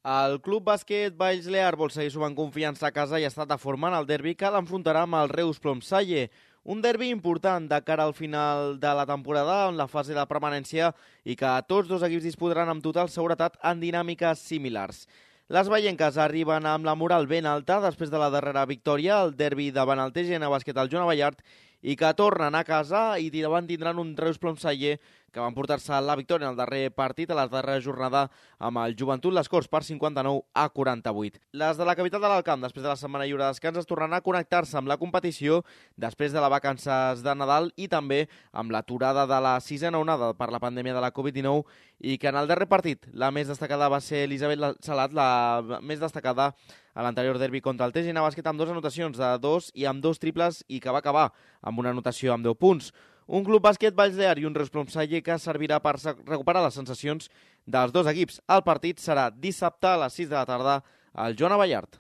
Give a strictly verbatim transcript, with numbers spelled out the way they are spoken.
El Club Bàsquet Valls Lear vol seguir sumant confiança a casa i ha estat de forma en el derbi que l'enfrontarà amb el Reus Plomsalle. Un derbi important de cara al final de la temporada en la fase de permanència i que tots dos equips disputaran amb total seguretat en dinàmiques similars. Les vallenques arriben amb la moral ben alta després de la darrera victòria, el derbi davant el T G N Bàsquet al Joan Abellart, i que tornen a casa i davant tindran un Reus Plomsalle que van portar-se la victòria en el darrer partit a la darrera jornada amb el Joventut Les Corts per cinquanta-nou a quaranta-vuit. Les de la capital de l'Alt Camp, després de la setmana lliure de descans, es tornaran a connectar-se amb la competició després de les vacances de Nadal i també amb l'aturada de la sisena onada per la pandèmia de la covid dinou, i que en el darrer partit la més destacada va ser Elisabet Salat, la més destacada a l'anterior derbi contra el T G N Bàsquet, amb dues anotacions de dos i amb dos triples, i que va acabar amb una anotació amb deu punts. Un Club Bàsquet Valls Lear i un Reus Plomsalle que servirà per recuperar les sensacions dels dos equips. El partit serà dissabte a les sis de la tarda al Joan Abellart.